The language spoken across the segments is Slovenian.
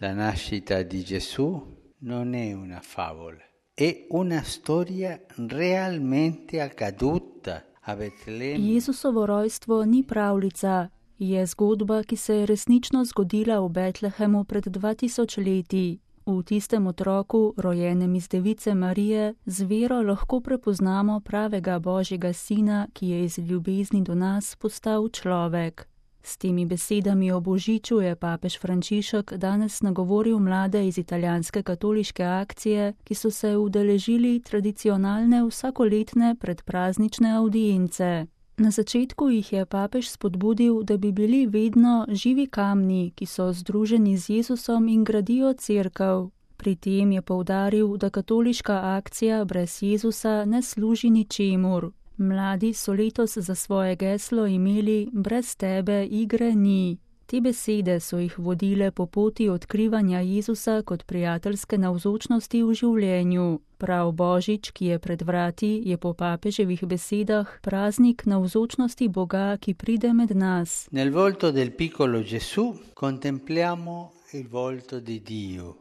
La nascita di Gesù non è una favola, è una storia realmente accaduta a Betlemme. Jezusovo rojstvo ni pravljica, je zgodba, ki se je resnično zgodila v Betlehemu pred 2000 leti. V tistem otroku, rojenem iz device Marije, z vero lahko prepoznamo pravega Božjega sina, ki je iz ljubezni do nas postal človek. S temi besedami o Božiču je papež Frančišek danes nagovoril mlade iz italijanske katoliške akcije, ki so se udeležili tradicionalne vsakoletne predpraznične avdience. Na začetku jih je papež spodbudil, da bi bili vedno živi kamni, ki so združeni z Jezusom in gradijo cerkev. Pri tem je poudaril, da katoliška akcija brez Jezusa ne služi ničemur. Mladi so letos za svoje geslo imeli brez tebe igre ni. Te besede so jih vodile po poti odkrivanja Jezusa kot prijateljske navzočnosti v življenju. Prav Božič, ki je pred vrati, je po papeževih besedah praznik navzočnosti Boga, ki pride med nas. Nel volto del piccolo Gesù contempliamo il volto di Dio.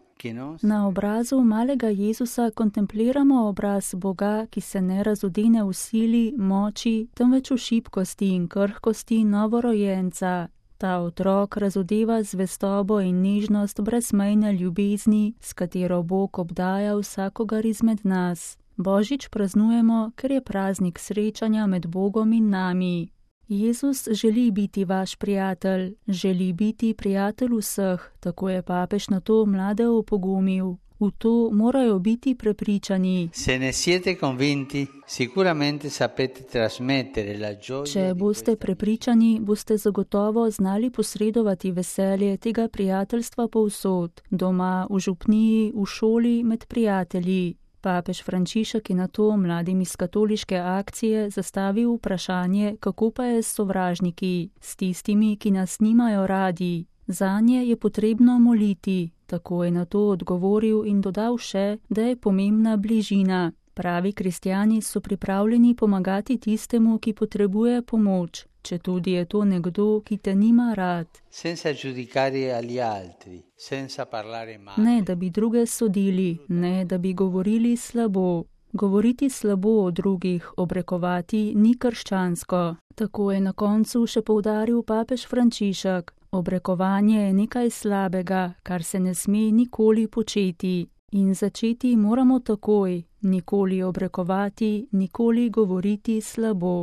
Na obrazu malega Jezusa kontempliramo obraz Boga, ki se ne razodene v sili, moči, temveč v šibkosti in krhkosti novorojenca. Ta otrok razodeva zvestobo in nežnost brezmejne ljubezni, s katero Bog obdaja vsakogar izmed nas. Božič praznujemo, ker je praznik srečanja med Bogom in nami. Jezus želi biti vaš prijatelj, želi biti prijatelj vseh, tako je papež na to mlade opogumil. V to morajo biti prepričani. Če boste prepričani, boste zagotovo znali posredovati veselje tega prijateljstva povsod, doma, v župniji, v šoli, med prijatelji. Papež Frančišek je na to mladim iz katoliške akcije zastavil vprašanje, kako pa je s sovražniki, s tistimi, ki nas nimajo radi. Zanje je potrebno moliti. Tako je na to odgovoril in dodal še, da je pomembna bližina. Pravi kristjani so pripravljeni pomagati tistemu, ki potrebuje pomoč, četudi je to nekdo, ki te nima rad. Ne, da bi druge sodili, ne, da bi govorili slabo. Govoriti slabo o drugih, obrekovati ni krščansko. Tako je na koncu še poudaril papež Frančišek. Obrekovanje je nekaj slabega, kar se ne sme nikoli početi. In začeti moramo takoj, nikoli obrekovati, nikoli govoriti slabo.